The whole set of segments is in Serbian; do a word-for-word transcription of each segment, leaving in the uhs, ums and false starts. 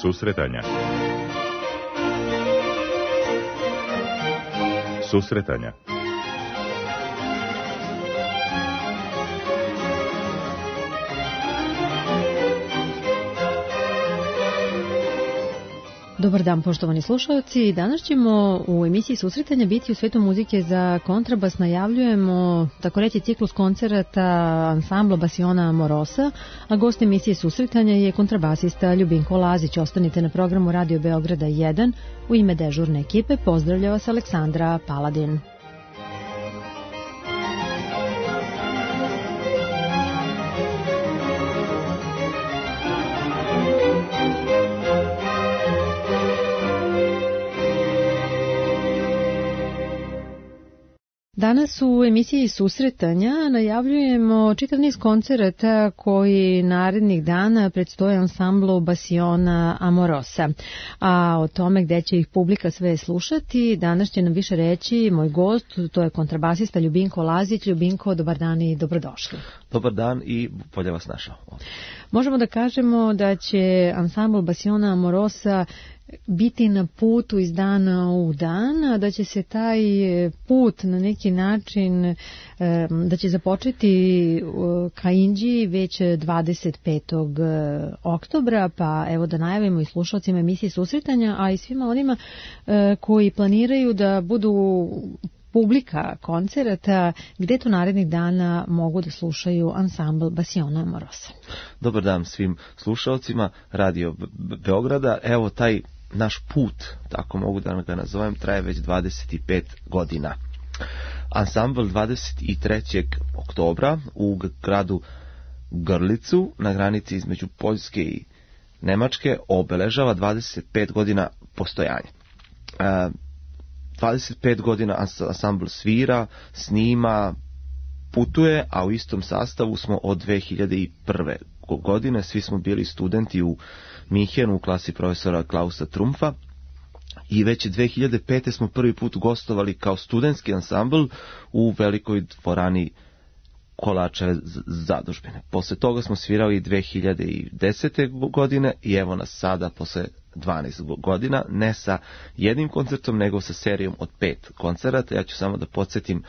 Susretanja. Susretanja. Dobar dan, poštovani slušalci. Danas ćemo u emisiji Susretanja biti u svetu muzike za kontrabas. Najavljujemo, tako reći, ciklus koncerata ansambla Basiona Amorosa, a gost emisije Susretanja je kontrabasista Ljubinko Lazić. Ostanite na programu Radio Beograda jedan. U ime dežurne ekipe pozdravlja vas Aleksandra Paladin. Danas u emisiji Susretanja najavljujemo čitav niz koncerata koji narednih dana predstoje ansamblu Basiona Amorosa. A o tome gde će ih publika sve slušati, danas će nam više reći moj gost, to je kontrabasista Ljubinko Lazić. Ljubinko, dobar dan i dobrodošli. Dobar dan i bolje vas našao. Možemo da kažemo da će ansambl Basiona Amorosa biti na putu iz dana u dan, da će se taj put na neki način, da će započeti ka Inđiji već dvadeset petog oktobra, pa evo da najavimo i slušalcima emisije Susretanja, a i svima onima koji planiraju da budu publika koncerata, gde to narednih dana mogu da slušaju ansambl Basiona Amorosa. Dobar dan svim slušalcima Radio Beograda. Evo taj naš put, tako mogu da ga nazovem, traje već dvadeset pet godina. Ansambl dvadeset trećeg oktobra u gradu Grlicu, na granici između Poljske i Nemačke, obeležava dvadeset pet godina postojanja. dvadeset pet godina ansambl svira, snima, putuje, a u istom sastavu smo od dve hiljade prve. godine. Svi smo bili studenti u Minhenu u klasi profesora Klausa Trumpfa i već dve hiljade pete. smo prvi put gostovali kao studentski ansambl u velikoj dvorani Kolačeve zadužbine. Posle toga smo svirali dve hiljade desete. godine i evo nas sada posle dvanaest godina, ne sa jednim koncertom, nego sa serijom od pet koncerata. Ja ću samo da podsjetim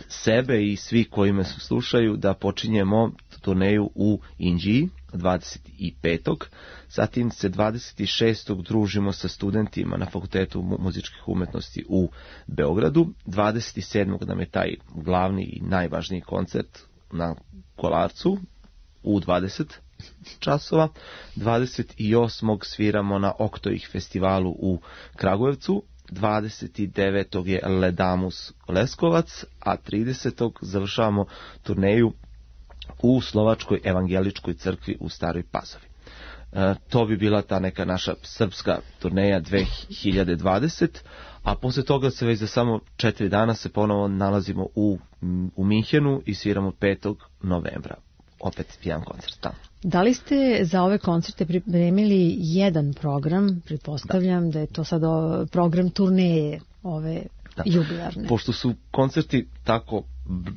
sebe i svi koji me slušaju da počinjemo turneju u Inđiji dvadeset petog Zatim se dvadeset šestog družimo sa studentima na Fakultetu muzičkih umetnosti u Beogradu. dvadeset sedmog nam je taj glavni i najvažniji koncert na Kolarcu u dvadeset časova. dvadeset osmog sviramo na Oktoih festivalu u Kragujevcu. dvadeset devetog je Ledamus Leskovac, a tridesetog završavamo turneju u Slovačkoj evangeličkoj crkvi u Staroj Pazovi. E, to bi bila ta neka naša srpska turneja dve hiljade dvadesete. A posle toga se već za samo četiri dana se ponovo nalazimo u, u Minhenu i sviramo petog novembra. Opet jedan koncert tamo. Da li ste za ove koncerte pripremili jedan program? Pretpostavljam da, da je to sad program turneje ove da. jubilarne. Pošto su koncerti tako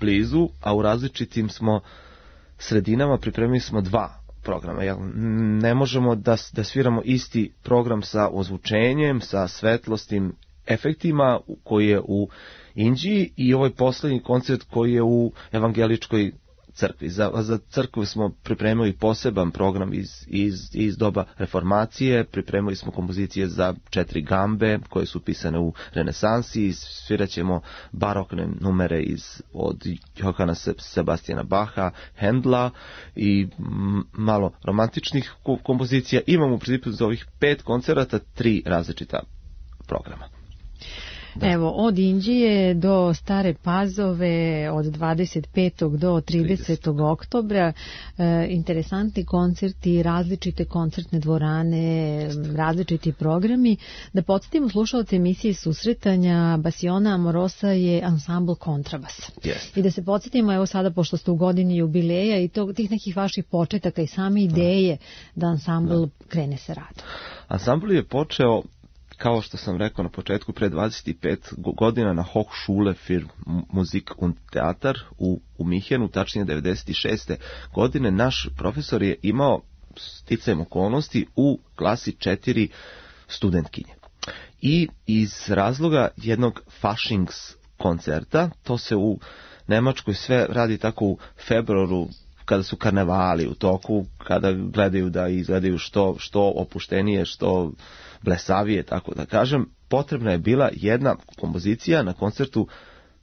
blizu, a u različitim smo sredinama, pripremili smo dva programa. Ne možemo da, da sviramo isti program sa ozvučenjem, sa svetlostim efektima koji je u Inđiji i ovaj poslednji koncert koji je u evangeličkoj crkvi. Za, za crkvu smo pripremili poseban program iz, iz, iz doba reformacije, pripremili smo kompozicije za četiri gambe koje su pisane u renesansi, svirat ćemo barokne numere iz, od Johana Sebastijana Baha, Hendla i m, malo romantičnih kompozicija. Imamo u principu za ovih pet koncerata tri različita programa. Da. Evo, od Inđije do Stare Pazove, od dvadeset petog do tridesetog oktobra, e, interesantni koncerti, različite koncertne dvorane, različiti programi. Da podsjetimo slušalce emisije Susretanja, Basiona Amorosa je ansambl kontrabas. Yes. I da se podsjetimo, evo sada, pošto ste u godini jubileja i to, tih nekih vaših početaka i same ideje da ansambl da. krene sa radom. Ansambl je počeo, kao što sam rekao na početku, pre dvadeset pet godina na Hochschule für Musik und Theater u, u Minhenu, tačnije devedeset šeste. godine. Naš profesor je imao sticajem okolnosti u klasi četiri studentkinje. I iz razloga jednog Faschings koncerta, to se u Nemačkoj sve radi tako u februaru, kada su karnevali u toku, kada gledaju da izgledaju što, što opuštenije, što blesavije, tako da kažem, potrebna je bila jedna kompozicija na koncertu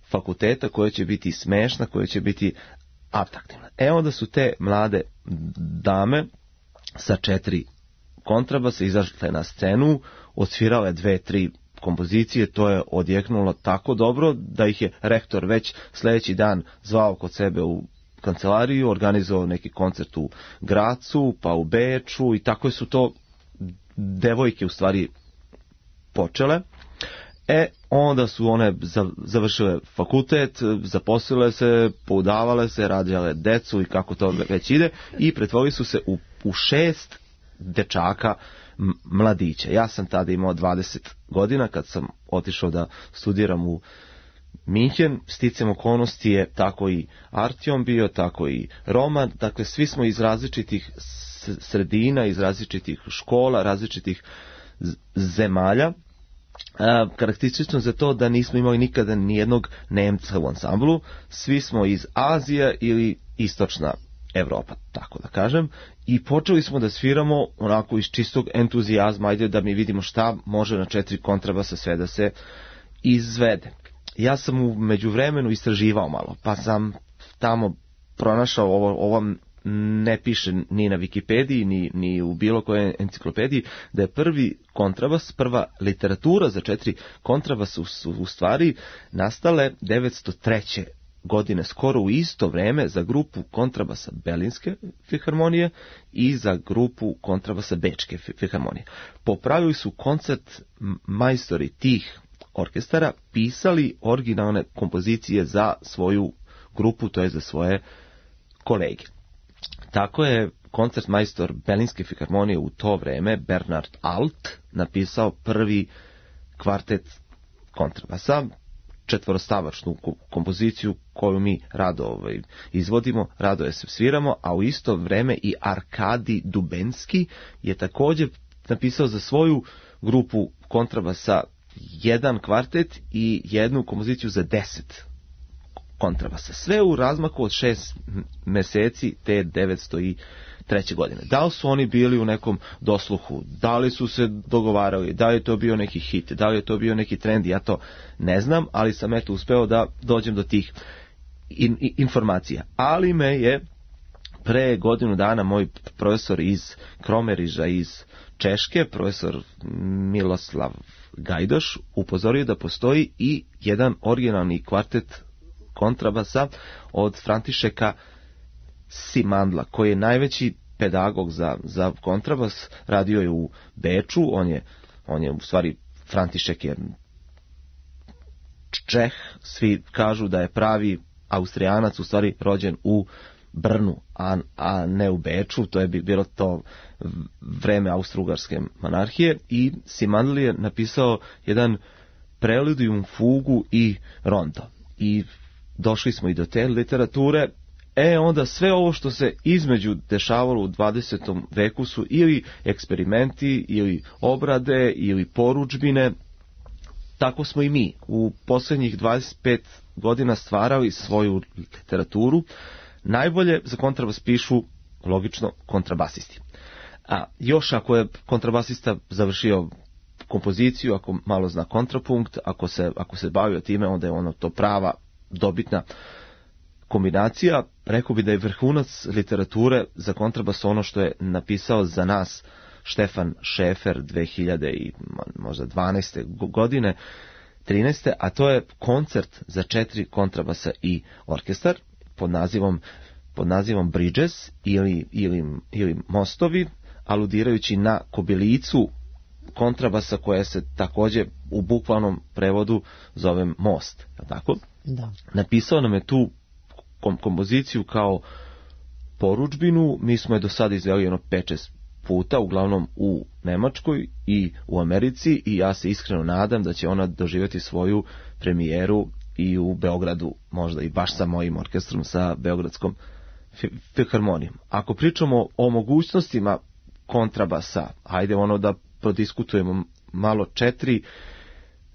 fakulteta koja će biti smešna, koja će biti atraktivna. E onda su te mlade dame sa četiri kontrabasa izašle na scenu, odsvirale dve, tri kompozicije, to je odjeknulo tako dobro da ih je rektor već sljedeći dan zvao kod sebe u kancelariju, organizovao neki koncert u Gracu, pa u Beču i tako su to devojke u stvari počele. E, onda su one završile fakultet, zaposlile se, poudavale se, rađale decu i kako to već ide i pretvorili su se u, u šest dečaka mladića. Ja sam tada imao dvadeset godina kad sam otišao da studiram u Minhen, sticam okolnosti je tako i Artjom bio, tako i Roman, dakle svi smo iz različitih sredina, iz različitih škola, različitih zemalja. A, karakteristično za to da nismo imali nikada nijednog Nemca u ansamblu, svi smo iz Azije ili istočna Evropa, tako da kažem, i počeli smo da sviramo onako iz čistog entuzijazma, ajde da mi vidimo šta može na četiri kontrabasa sve da se izvede. Ja sam u međuvremenu istraživao malo, pa sam tamo pronašao, ovo, ovo ne piše ni na Wikipediji, ni, ni u bilo kojoj enciklopediji, da je prvi kontrabas, prva literatura za četiri kontrabasa su u stvari nastale devetsto treće godine, skoro u isto vreme za grupu kontrabasa Berlinske filharmonije i za grupu kontrabasa Bečke filharmonije. Po pravilu su koncert majstori tih orkestara pisali originalne kompozicije za svoju grupu, to je za svoje kolege. Tako je koncertmajstor Berlinske filharmonije u to vreme, Bernard Alt, napisao prvi kvartet kontrabasa, četvorostavačnu kompoziciju koju mi rado ovaj, izvodimo, rado je se sviramo, a u isto vreme i Arkadi Dubenski je također napisao za svoju grupu kontrabasa jedan kvartet i jednu kompoziciju za deset kontrabasa. Sve u razmaku od šest mjeseci te devetsto treće godine. Da li su oni bili u nekom dosluhu, da li su se dogovarali, da li je to bio neki hit, da li je to bio neki trend, ja to ne znam, ali sam eto uspeo da dođem do tih in, in, informacija. Ali me je pre godinu dana moj profesor iz Kromeriža iz Češke, profesor Miloslav Gajdoš, upozorio da postoji i jedan originalni kvartet kontrabasa od Františeka Simandla, koji je najveći pedagog za, za kontrabas, radio je u Beču, on je, on je u stvari, František je Čeh, svi kažu da je pravi Austrijanac, u stvari rođen u Brnu, a, a ne u Beču, to je bilo to vreme Austro-Ugarske monarhije, i Simandl je napisao jedan preludium, fugu i rondo. I došli smo i do te literature. E onda sve ovo što se između dešavalo u dvadesetom veku su ili eksperimenti, ili obrade, ili porudžbine. Tako smo i mi u posljednjih dvadeset pet godina stvarali svoju literaturu. Najbolje za kontrabas pišu, logično, kontrabasisti. A još ako je kontrabasista završio kompoziciju, ako malo zna kontrapunkt, ako se, ako se bavio time, onda je ono to prava, dobitna kombinacija. Rekao bi da je vrhunac literature za kontrabas ono što je napisao za nas Štefan Šefer dve hiljade dvanaeste godine, trinaeste, a to je koncert za četiri kontrabasa i orkestar pod nazivom, pod nazivom Bridges ili, ili, ili mostovi, aludirajući na kobilicu kontrabasa koja se također u bukvalnom prevodu zove most. Tako? Da. Napisao nam je tu kom- kompoziciju kao porudžbinu, mi smo je do sada izveli jedno pet šest puta, uglavnom u Nemačkoj i u Americi, i ja se iskreno nadam da će ona doživjeti svoju premijeru i u Beogradu, možda i baš sa mojim orkestrom, sa Beogradskom filharmonijom. Ako pričamo o mogućnostima kontrabasa, hajde ono da prodiskutujemo malo, četiri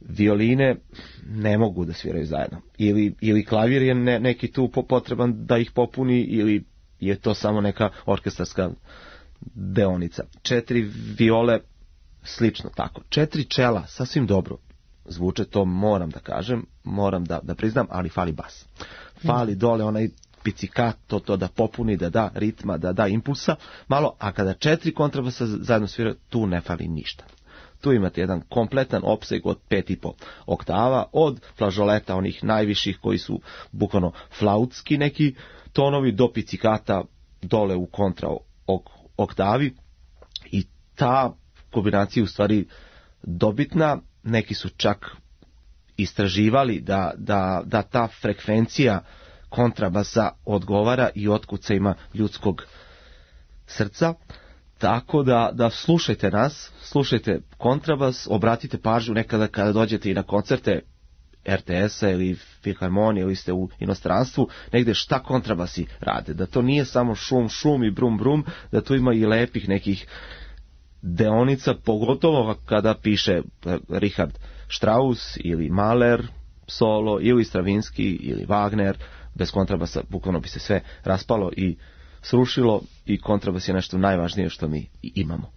violine ne mogu da sviraju zajedno. Ili, ili klavir je ne, neki tu potreban da ih popuni, ili je to samo neka orkestarska deonica. Četiri viole slično tako. Četiri čela sasvim dobro zvuče, to moram da kažem, moram da, da priznam, ali fali bas. Fali dole onaj pizzicato, to da popuni, da da ritma, da da impulsa malo, a kada četiri kontrabasa zajedno sviraju, tu ne fali ništa. Tu imate jedan kompletan opseg od pet i po oktava, od flažoleta, onih najviših koji su bukvalno flautski neki tonovi, do pizzicata dole u kontra oktavi, i ta kombinacija u stvari dobitna. Neki su čak istraživali da, da, da ta frekvencija kontrabasa odgovara i otkucajima ljudskog srca. Tako da, da slušajte nas, slušajte kontrabas, obratite pažnju nekada kada dođete i na koncerte er te esa ili filharmonije ili ste u inostranstvu, negde šta kontrabasi rade. Da to nije samo šum, šum i brum, brum, da tu ima i lepih nekih deonica, pogotovo kada piše Richard Strauss ili Mahler solo, ili Stravinski ili Wagner. Bez kontrabasa bukvalno bi se sve raspalo i srušilo, i kontrabas je nešto najvažnije što mi imamo.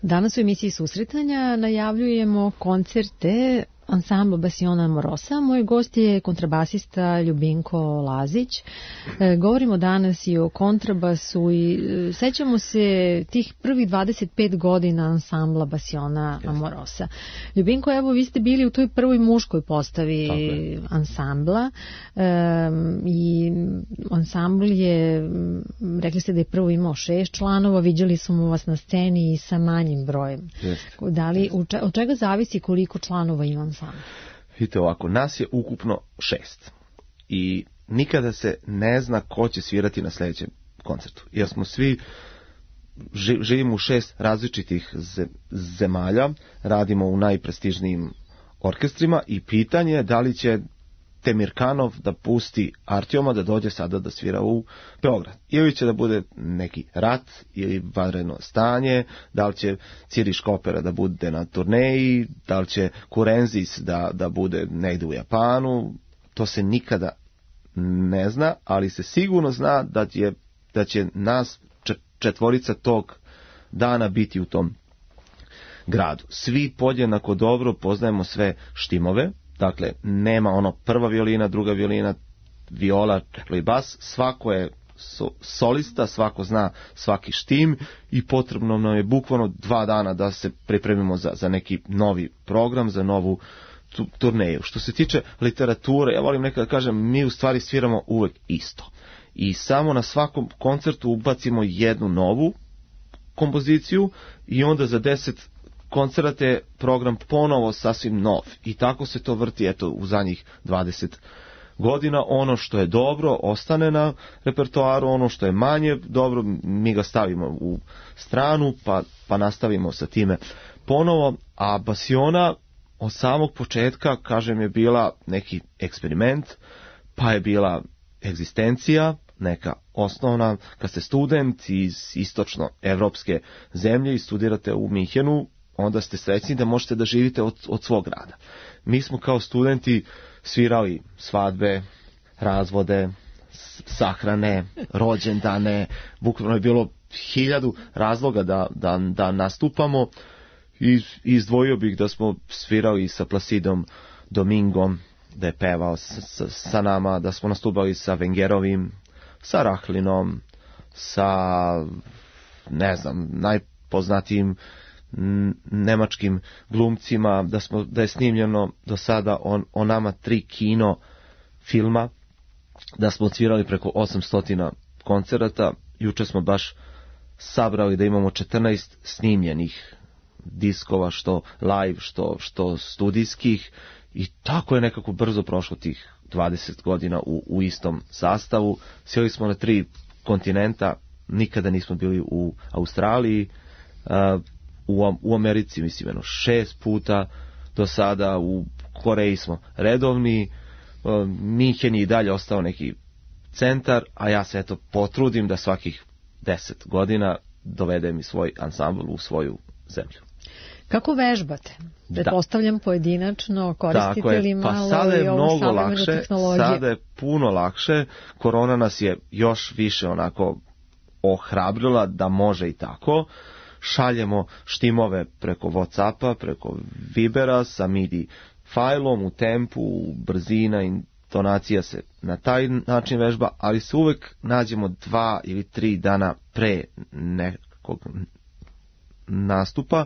Danas u emisiji Susretanja najavljujemo koncerte ansambl Basiona Amorosa. Moj gost je kontrabasista Ljubinko Lazić. E, govorimo danas i o kontrabasu i e, sećamo se tih prvih dvadeset pet godina ansambla Basiona Amorosa. Ljubinko, evo, vi ste bili u toj prvoj muškoj postavi ansambla e, i ansambl je, rekli ste da je prvo imao šest članova, viđali smo vas na sceni i sa manjim brojem. Jeste. Da li, od čega zavisi koliko članova ima ansambl? Vidite ovako, nas je ukupno šest i nikada se ne zna ko će svirati na sljedećem koncertu, jer smo svi živimo u šest različitih zemalja, radimo u najprestižnijim orkestrima i pitanje je da li će Temirkanov da pusti Artjoma da dođe sada da svira u Beograd. Ili će da bude neki rat ili vanredno stanje, da li će Ciri Škopera da bude na turneji, da li će Kurenzis da, da bude negdje u Japanu, to se nikada ne zna, ali se sigurno zna da, je, da će nas četvorica tog dana biti u tom gradu. Svi podjednako dobro poznajemo sve štimove, dakle nema ono prva violina, druga violina, viola i bas, svako je so, solista, svako zna svaki štim i potrebno nam je bukvalno dva dana da se pripremimo za, za neki novi program, za novu tu, turneju. Što se tiče literature, ja volim nekada kažem, mi u stvari sviramo uvek isto. I samo na svakom koncertu ubacimo jednu novu kompoziciju i onda za deset koncerata je program ponovo sasvim nov. I tako se to vrti, eto, u zadnjih dvadeset godina. Ono što je dobro ostane na repertoaru, ono što je manje dobro mi ga stavimo u stranu pa, pa nastavimo sa time ponovo. A Basiona od samog početka, kažem, je bila neki eksperiment, pa je bila egzistencija, neka osnovna, kad ste student iz istočno-evropske zemlje i studirate u Minhenu, onda ste srećni da možete da živite od, od svog rada. Mi smo kao studenti svirali svadbe, razvode, sahrane, rođendane, bukvalno je bilo hiljadu razloga da, da, da nastupamo i izdvojio bih da smo svirali sa Placidom Domingom, da je pevao sa, sa nama, da smo nastupali sa Vengerovim, sa Rahlinom, sa, ne znam, najpoznatijim nemačkim glumcima, da, smo, da je snimljeno do sada on, o nama tri kino filma, da smo odsvirali preko osamsto koncerata. Juče smo baš sabrali da imamo četrnaest snimljenih diskova, što live, što, što studijskih, i tako je nekako brzo prošlo tih dvadeset godina u, u istom sastavu. Sjeli smo na tri kontinenta, nikada nismo bili u Australiji, uh, u, u Americi mislim jedno šest puta do sada, u Koreji smo redovni, uh, Minhen je i dalje ostao neki centar, a ja se eto potrudim da svakih deset godina dovedem i svoj ansambl u svoju zemlju. Kako vežbate? Pretpostavljam pojedinačno, koristite li malo pa sada je i ovu mnogo savremenu lakše, tehnologiju? Sada je puno lakše, korona nas je još više onako ohrabrila da može i tako. Šaljemo štimove preko Whatsappa, preko Vibera sa midi fajlom u tempu, brzina, intonacija se na taj način vežba, ali se uvek nađemo dva ili tri dana pre nekog nastupa,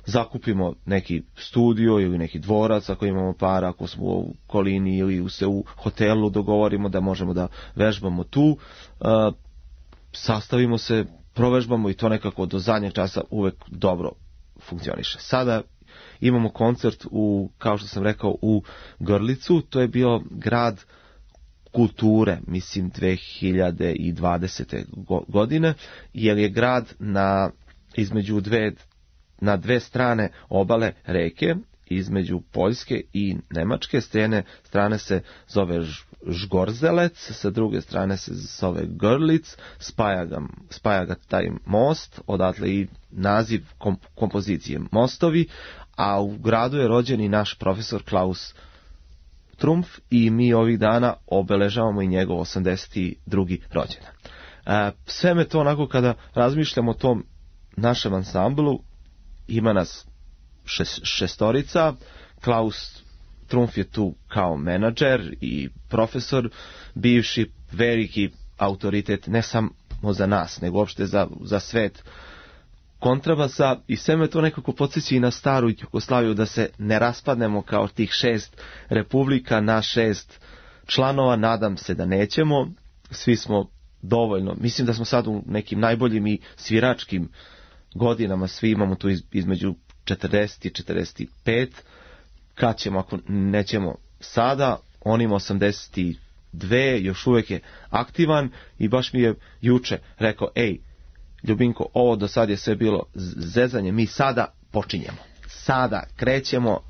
zakupimo neki studio ili neki dvorac ako imamo para, ako smo u okolini ili se u hotelu dogovorimo da možemo da vežbamo tu, uh, sastavimo se, provežbamo i to nekako do zadnjeg časa uvek dobro funkcioniše. Sada imamo koncert u, kao što sam rekao, u Grlicu, to je bio grad kulture, mislim dve hiljade dvadesete godine, jer je grad na između dve na dve strane obale reke, između Poljske i Nemačke. S jedne strane se zove Žgorzelec, sa druge strane se zove Grlic, spaja ga, spaja ga taj most, odatle i naziv komp- kompozicije Mostovi, a u gradu je rođen i naš profesor Klaus Trumpf i mi ovih dana obeležavamo i njegov osamdeset drugi rođendan. E, sve me to onako kada razmišljam o tom našem ansamblu, ima nas šest, šestorica, Klaus Trumf je tu kao menadžer i profesor, bivši veliki autoritet ne samo za nas, nego uopšte za, za svet kontrabasa, i sve me to nekako podsjeća i na staru Jugoslaviju, da se ne raspadnemo kao tih šest republika na šest članova. Nadam se da nećemo, svi smo dovoljno, mislim da smo sad u nekim najboljim i sviračkim godinama, svi imamo tu iz, između četrdeset i četrdeset pet, kad ćemo, ako nećemo sada, on ima osamdeset dve, još uvijek je aktivan, i baš mi je juče rekao, ej, Ljubinko, ovo do sad je sve bilo zezanje, mi sada počinjemo, sada krećemo,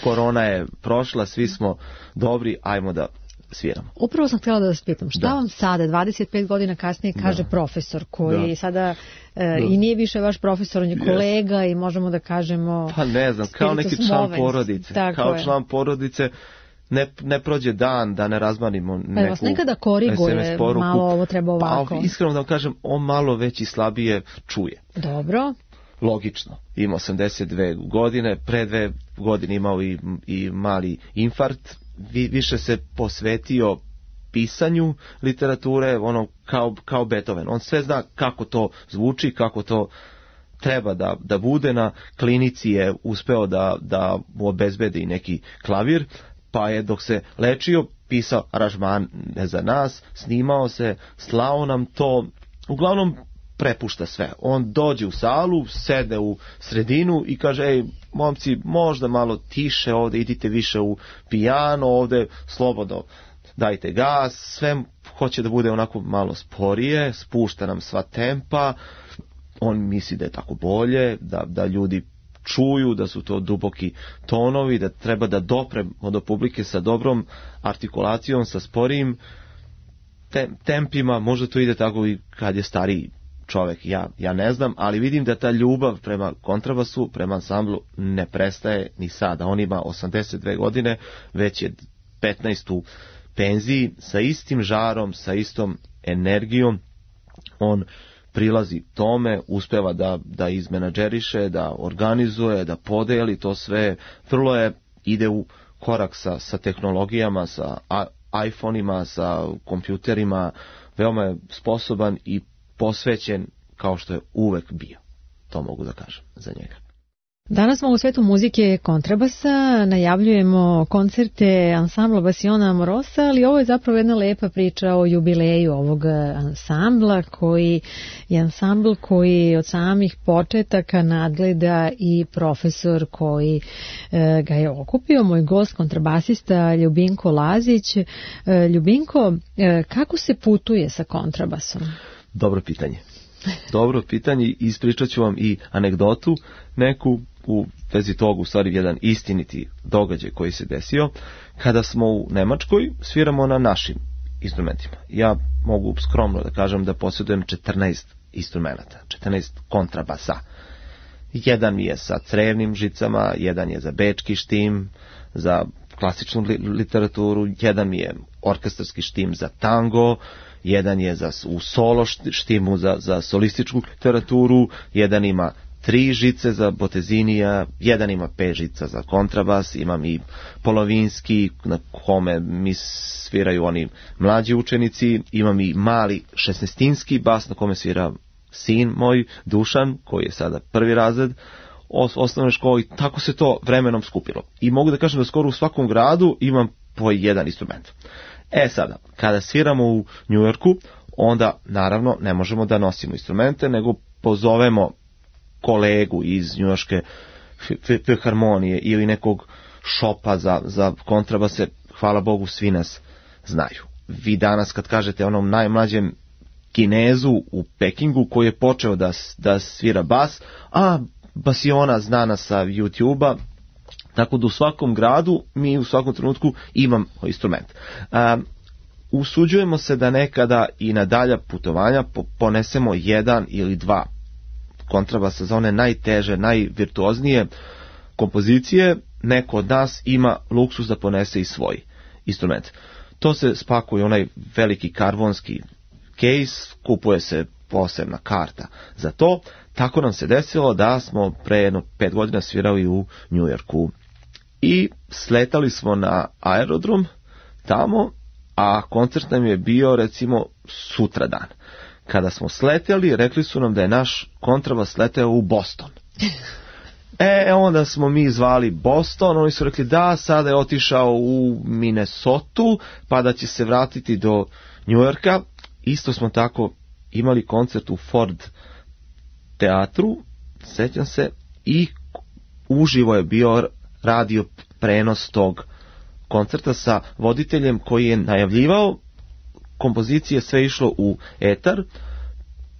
korona je prošla, svi smo dobri, ajmo da sviramo. Upravo sam htjela da vas pitam, šta da. vam sada, dvadeset pet godina kasnije, kaže da. profesor, koji da. sada e, i nije više vaš profesor, on je kolega yes. i možemo da kažemo... Pa ne znam, kao neki član movens. porodice, Tako kao je. član porodice, ne, ne prođe dan da ne razmanimo neku pa vas nekada koriguje, malo ovo treba ovako. Pa iskreno da vam kažem, on malo već i slabije čuje. Dobro. Logično, ima osamdeset dve godine, pre dve godine imao i, i mali infarkt, Vi, više se posvetio pisanju literature, ono kao, kao Beethoven. On sve zna kako to zvuči, kako to treba da, da bude. Na klinici je uspeo da, da mu obezbedi neki klavir, pa je dok se lečio pisao aranžmane za nas, snimao se, slao nam to, uglavnom prepušta sve. On dođe u salu, sede u sredinu i kaže, ej, momci, možda malo tiše ovde, idite više u pijano, ovde slobodno dajte gas, sve hoće da bude onako malo sporije, spušta nam sva tempa, on misli da je tako bolje, da, da ljudi čuju, da su to duboki tonovi, da treba da dopremo do publike sa dobrom artikulacijom, sa sporijim tempima, možda to ide tako i kad je stariji čovjek, ja, ja ne znam, ali vidim da ta ljubav prema kontrabasu, prema ansamblu ne prestaje ni sada. On ima osamdeset dve godine, već je petnaest u penziji, sa istim žarom, sa istom energijom, on prilazi tome, uspeva da, da izmenadžeriše, da organizuje, da podeli to sve, vrlo je, ide u korak sa, sa tehnologijama, sa iPhone-ima, sa kompjuterima, veoma je sposoban i posvećen kao što je uvek bio. To mogu da kažem za njega. Danas smo u svetu muzike kontrabasa, najavljujemo koncerte ansambla Basiona Amorosa, ali ovo je zapravo jedna lepa priča o jubileju ovog ansambla, koji je ansambl koji od samih početaka nadgleda i profesor koji e, ga je okupio, moj gost, kontrabasista Ljubinko Lazić. E, Ljubinko, e, kako se putuje sa kontrabasom? Dobro pitanje. Dobro pitanje, ispričat ću vam i anegdotu neku u vezi toga, u stvari jedan istiniti događaj koji se desio. Kada smo u Nemačkoj, sviramo na našim instrumentima. Ja mogu skromno da kažem da posjedujem četrnaest instrumenta, četrnaest kontrabasa. Jedan je sa crevnim žicama, jedan je za bečki štim, za klasičnu literaturu, jedan je orkestarski štim za tango, jedan je za, u solo štimu za, za solističku literaturu, jedan ima tri žice za botezinija, jedan ima pet žica za kontrabas, imam i polovinski na kome mi sviraju oni mlađi učenici, imam i mali šesnaestinski bas na kome svira sin moj Dušan, koji je sada prvi razred osnovne škole, i tako se to vremenom skupilo. I mogu da kažem da skoro u svakom gradu imam po jedan instrument. E sada, kada sviramo u Njujorku, onda naravno ne možemo da nosimo instrumente, nego pozovemo kolegu iz njujorške filharmonije ili nekog šopa za, za kontrabase. Hvala Bogu, svi nas znaju. Vi danas kad kažete onom najmlađem Kinezu u Pekingu koji je počeo da, da svira bas, a Basiona znana sa YouTube-a, tako da u svakom gradu mi u svakom trenutku imamo instrument. Um, usuđujemo se da nekada i na dalja putovanja ponesemo jedan ili dva kontrabasa za one najteže, najvirtuoznije kompozicije. Neko od nas ima luksus da ponese i svoj instrument. To se spakuje onaj veliki karbonski case, kupuje se posebna karta za to. Tako nam se desilo da smo pre jedno pet godina svirali u Njujorku. i sletali smo na aerodrom tamo, a koncert nam je bio recimo sutradan. Kada smo sletjeli, rekli su nam da je naš kontrabas leteo u Boston. E, onda smo mi zvali Boston, oni su rekli da, sada je otišao u Minnesota, pa da će se vratiti do New Yorka. Isto smo tako imali koncert u Ford teatru, sećam se, i uživo je bio radio prenos tog koncerta sa voditeljem koji je najavljivao kompozicije, sve išlo u etar.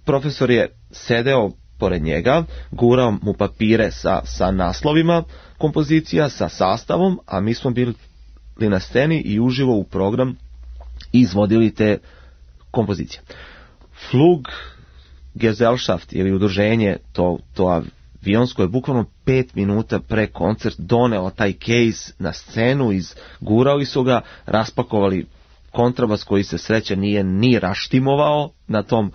Profesor je sedeo pored njega, gurao mu papire sa, sa naslovima kompozicija, sa sastavom, a mi smo bili na sceni i uživo u program izvodili te kompozicije. Flug Gesellschaft ili udruženje, to, to avionsko je bukvalno pet minuta pre koncert doneo taj case na scenu, izgurali su ga, raspakovali kontrabas koji se sreća nije ni raštimovao na tom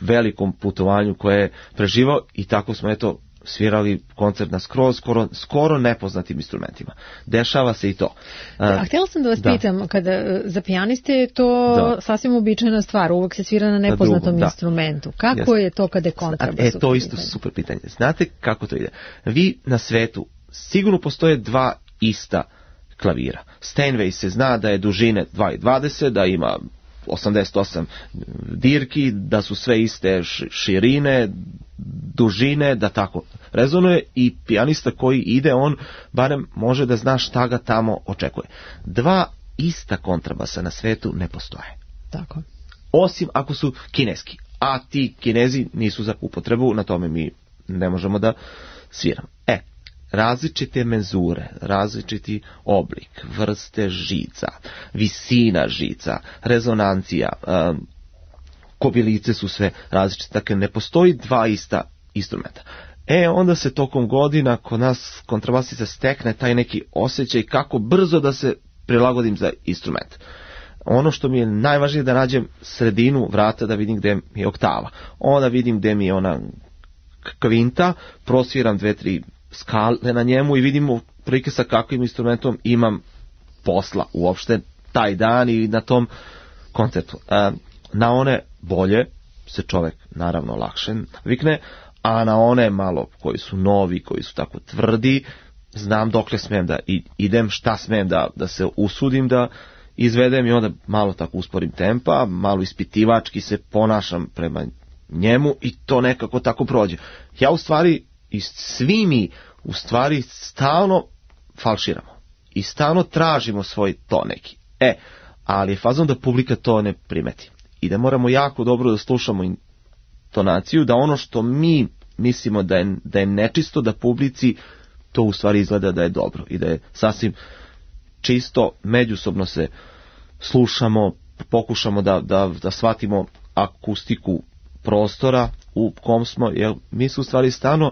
velikom putovanju koje je preživao, i tako smo eto svirali koncert na skroz, skoro, skoro nepoznatim instrumentima. Dešava se i to. A htjela sam da vas da. pitam, kada za pijaniste je to da. sasvim uobičajena stvar, uvek se svira na nepoznatom na instrumentu. Kako Jasne. je to kada je kontrabas? E, to isto super pitanje. Znate kako to ide? Vi na svetu sigurno postoje dva ista klavira. Steinway se zna da je dužine dva i dvadeset, da ima osamdeset osam dirki, da su sve iste širine, dužine, da tako rezonuje, i pijanista koji ide, on barem može da zna šta ga tamo očekuje. Dva ista kontrabasa na svetu ne postoje. Tako. Osim ako su kineski, a ti Kinezi nisu za upotrebu, na tome mi ne možemo da sviramo. E, različite menzure, različiti oblik, vrste žica, visina žica, rezonancija, um, kobilice su sve različite, dakle ne postoji dva ista instrumenta. E, onda se tokom godina kod nas kontrabasista stekne taj neki osjećaj kako brzo da se prilagodim za instrument. Ono što mi je najvažnije da nađem sredinu vrata, da vidim gde mi je oktava. Onda vidim gde mi je ona kvinta, prosviram dve, tri skale na njemu i vidimo prilike sa kakvim instrumentom imam posla uopšte taj dan i na tom koncertu. E, na one bolje se čovek naravno lakše vikne, a na one malo koji su novi, koji su tako tvrdi, znam dokle smem da idem, šta smem da, da se usudim da izvedem, i onda malo tako usporim tempa, malo ispitivački se ponašam prema njemu i to nekako tako prođe. Ja u stvari, i svi mi u stvari stalno falširamo i stalno tražimo svoj to neki. E, ali je fazon da publika to ne primeti i da moramo jako dobro da slušamo intonaciju, da ono što mi mislimo da je, da je nečisto, da publici to u stvari izgleda da je dobro i da je sasvim čisto. Međusobno se slušamo, pokušamo da, da, da shvatimo akustiku prostora u kom smo, jer mi se u stvari stalno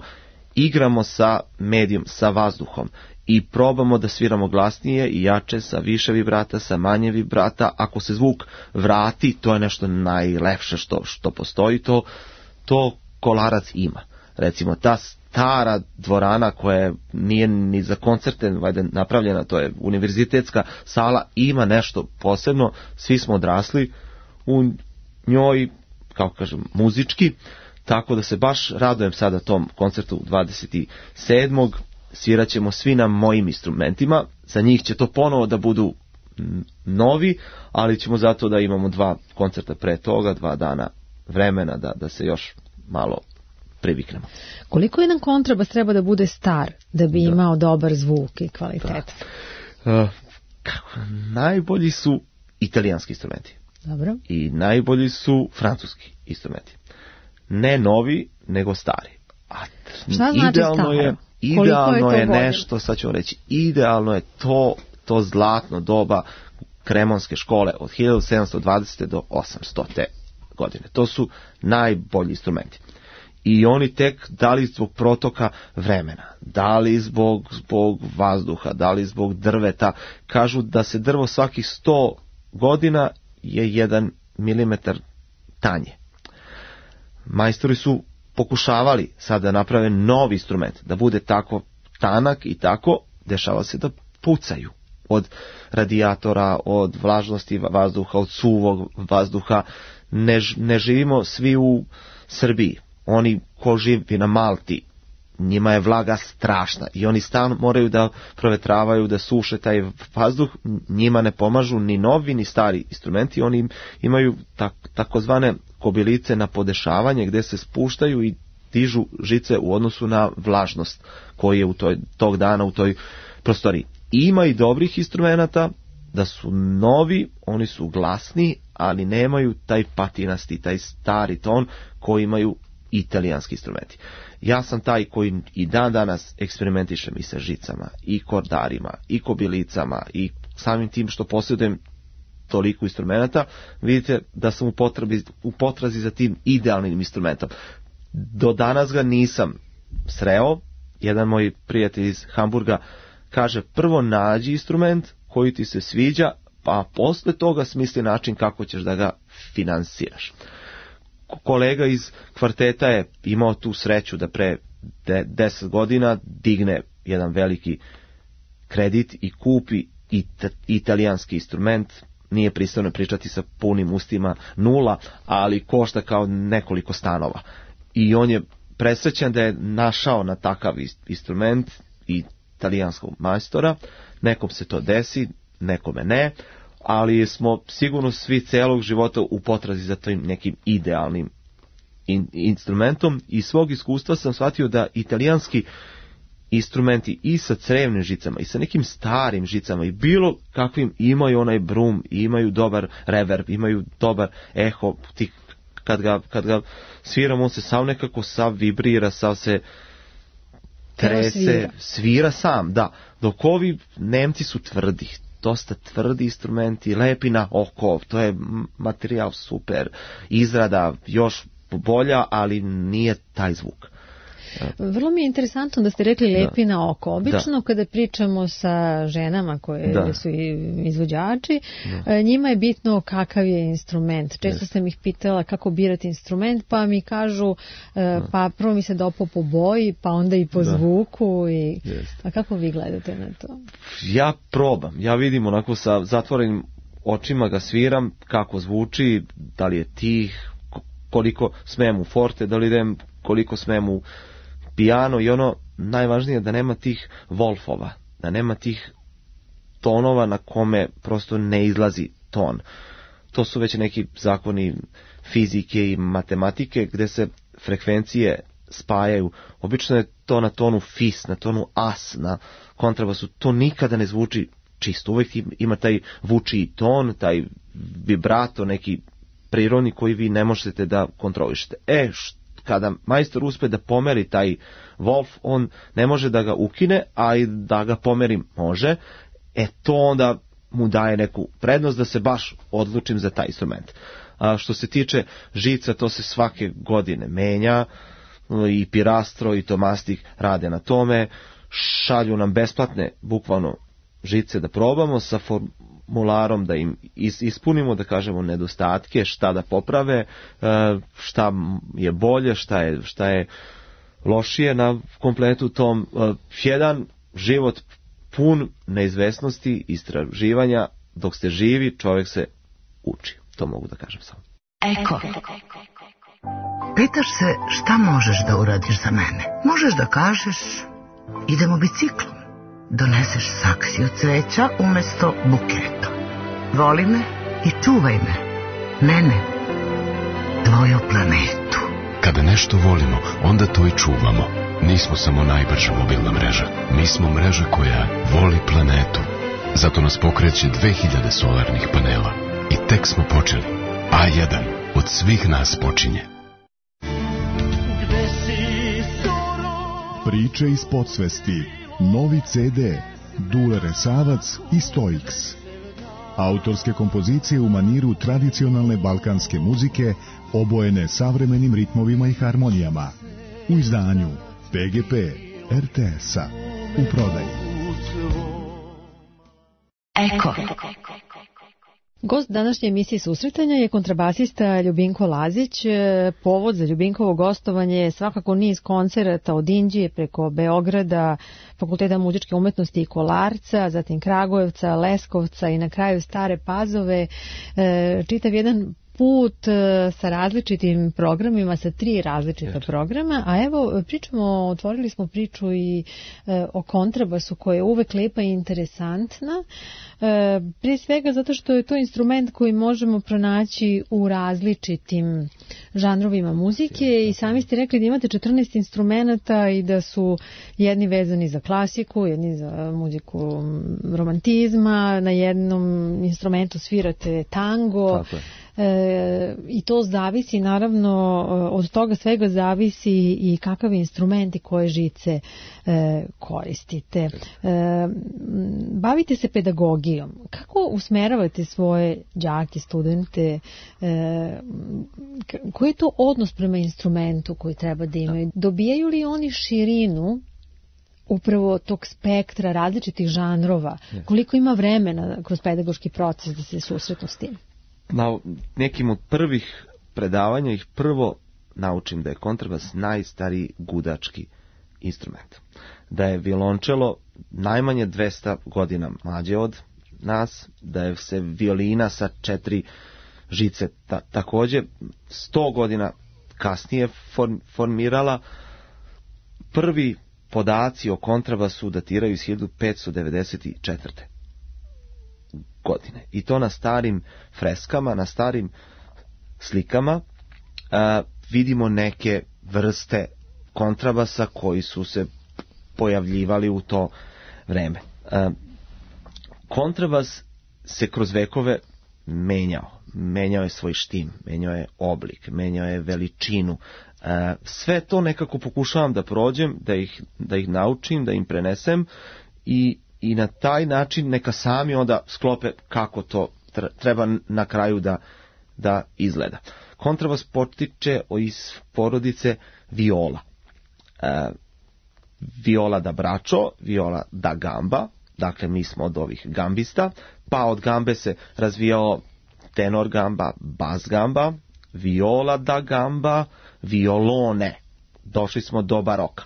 igramo sa medijom, sa vazduhom i probamo da sviramo glasnije i jače, sa više vibrata, sa manje vibrata. Ako se zvuk vrati, to je nešto najlepše što, što postoji, to, to Kolarac ima. Recimo, ta stara dvorana koja nije ni za koncerte vajde napravljena, to je univerzitetska sala, ima nešto posebno, svi smo odrasli u njoj, kako kažem, muzički, tako da se baš radujem sada tom koncertu dvadeset sedmog Svirat ćemo svi na mojim instrumentima, za njih će to ponovo da budu novi, ali ćemo zato da imamo dva koncerta pre toga, dva dana vremena da, da se još malo priviknemo. Koliko jedan kontrabas treba da bude star da bi da. imao dobar zvuk i kvalitet? Da. Uh, kako? Najbolji su italijanski instrumenti. Dobro. I najbolji su francuski instrumenti. Ne novi, nego stari. A šta znači idealno staro? je, idealno je, je nešto, sad ću vam reći, idealno je to, to zlatno doba kremonske škole od hiljadu sedamsto dvadesete do osamstote godine. To su najbolji instrumenti. I oni tek, da li zbog protoka vremena, da li zbog, zbog vazduha, da li zbog drveta, kažu da se drvo svakih sto godina je jedan milimetar tanje. Majstori su pokušavali sad da naprave novi instrument, da bude tako tanak i tako, dešava se da pucaju od radijatora, od vlažnosti vazduha, od suvog vazduha. Ne, ne živimo svi u Srbiji. Oni ko živi na Malti, njima je vlaga strašna i oni stalno moraju da provetravaju, da suše taj vazduh. Njima ne pomažu ni novi ni stari instrumenti. Oni imaju tak, takozvane kobilice na podešavanje gdje se spuštaju i dižu žice u odnosu na vlažnost koji je u toj, tog dana u toj prostoriji. Ima i dobrih instrumenata, da su novi, oni su glasni, ali nemaju taj patinasti, taj stari ton koji imaju italijanski instrumenti. Ja sam taj koji i dan danas eksperimentišem i sa žicama, i kordarima, i kobilicama, i samim tim što posjedujem toliko instrumenta, vidite da sam u, potrebi, u potrazi za tim idealnim instrumentom. Do danas ga nisam sreo. Jedan moj prijatelj iz Hamburga kaže, prvo nađi instrument koji ti se sviđa, pa posle toga smisli način kako ćeš da ga finansiraš. Kolega iz kvarteta je imao tu sreću da pre deset godina digne jedan veliki kredit i kupi it- italijanski instrument. Nije pristojno pričati sa punim ustima nula, ali košta kao nekoliko stanova. I on je presrećan da je našao na takav instrument i italijanskog majstora. Nekom se to desi, nekome ne, ali smo sigurno svi celog života u potrazi za tim nekim idealnim in, instrumentom. I svog iskustva sam shvatio da italijanski instrumenti i sa crevnim žicama i sa nekim starim žicama i bilo kakvim imaju onaj brum, imaju dobar reverb, imaju dobar eho, ti kad ga, kad ga sviram, on se sav nekako sav vibrira, sav se trese, svira. svira sam, da. Dok ovi Nemci su tvrdi, dosta tvrdi instrumenti, lepi na oko, to je materijal super, izrada još bolja, ali nije taj zvuk. Vrlo mi je interesantno da ste rekli lepi da. na oko. Obično da. kada pričamo sa ženama koje da. su izvođači, da. njima je bitno kakav je instrument. Često yes. sam ih pitala kako birati instrument, pa mi kažu da. pa prvo mi se dopo po boji, pa onda i po da. zvuku. I... Yes. A kako vi gledate na to? Ja probam. Ja vidim onako sa zatvorenim očima ga sviram, kako zvuči, da li je tih, koliko smem u forte, da li idem, koliko smem u piano i ono najvažnije da nema tih wolfova, da nema tih tonova na kome prosto ne izlazi ton. To su već neki zakoni fizike i matematike gdje se frekvencije spajaju. Obično je to na tonu fis, na tonu as, na kontrabasu. To nikada ne zvuči čisto. Uvijek ima taj vučiji ton, taj vibrato, neki prirodni koji vi ne možete da kontrolišete. E, što kada majstor uspe da pomeri taj wolf, on ne može da ga ukine, a i da ga pomeri može, e to onda mu daje neku prednost da se baš odlučim za taj instrument. A što se tiče žica, to se svake godine menja, i Pirastro i Tomastik rade na tome, šalju nam besplatne, bukvalno, žice da probamo sa formularom da im ispunimo, da kažemo nedostatke, šta da poprave, šta je bolje, šta je, šta je lošije na kompletu tom. Jedan život pun neizvesnosti, istraživanja, dok ste živi, čovjek se uči. To mogu da kažem samo. Eko. Pitaš se šta možeš da uradiš za mene? Možeš da kažeš idemo biciklom. Doneseš saksiju cveća umjesto buketa. Voli me i čuvaj me. Mene. Tvoju planetu. Kada nešto volimo, onda to i čuvamo. Nismo samo najbrža mobilna mreža. Mi smo mreža koja voli planetu. Zato nas pokreće dve hiljade solarnih panela. I tek smo počeli. A jedan od svih nas počinje. Priče iz podsvesti. Novi ce de, Dule Resavac i Stoiks. Autorske kompozicije u maniru tradicionalne balkanske muzike, obojene savremenim ritmovima i harmonijama. U izdanju pe ge pe er te es-a. U prodaji. Eko. Gost današnje emisije Susretanja je kontrabasista Ljubinko Lazić. Povod za Ljubinkovo gostovanje je svakako niz koncerata od Inđije preko Beograda, Fakulteta muzičke umetnosti i Kolarca, zatim Kragujevca, Leskovca i na kraju Stare Pazove. Čitav jedan put sa različitim programima, sa tri različita programa, a evo pričamo, otvorili smo priču i e, o kontrabasu koja je uvek lepa i interesantna, e, prije svega zato što je to instrument koji možemo pronaći u različitim žanrovima muzike i sami ste rekli da imate četrnaest instrumenta i da su jedni vezani za klasiku, jedni za muziku romantizma, na jednom instrumentu svirate tango. Tako je. E, i to zavisi, naravno od toga svega zavisi i kakav instrument i koje žice e, koristite. E, bavite se pedagogijom. Kako usmeravate svoje đake, studente? E, koji je to odnos prema instrumentu koji treba da imaju? Dobijaju li oni širinu upravo tog spektra različitih žanrova? Koliko ima vremena kroz pedagoški proces da se susretnu s tim? Na nekim od prvih predavanja ih prvo naučim da je kontrabas najstariji gudački instrument. Da je violončelo najmanje dvesta godina mlađe od nas, da je se violina sa četiri žice ta, također sto godina kasnije form, formirala. Prvi podaci o kontrabasu datiraju iz hiljadu petsto devedeset četvrte godine. I to na starim freskama, na starim slikama a, vidimo neke vrste kontrabasa koji su se pojavljivali u to vreme. A, kontrabas se kroz vekove menjao. Menjao je svoj štim, menjao je oblik, menjao je veličinu. A, sve to nekako pokušavam da prođem, da ih, da ih naučim, da im prenesem i i na taj način neka sami onda sklope kako to treba na kraju da, da izgleda. Kontrabas potiče iz porodice viola. E, viola da bračo, viola da gamba, dakle mi smo od ovih gambista, pa od gambe se razvijao tenor gamba, bas gamba, viola da gamba, violone. Došli smo do baroka.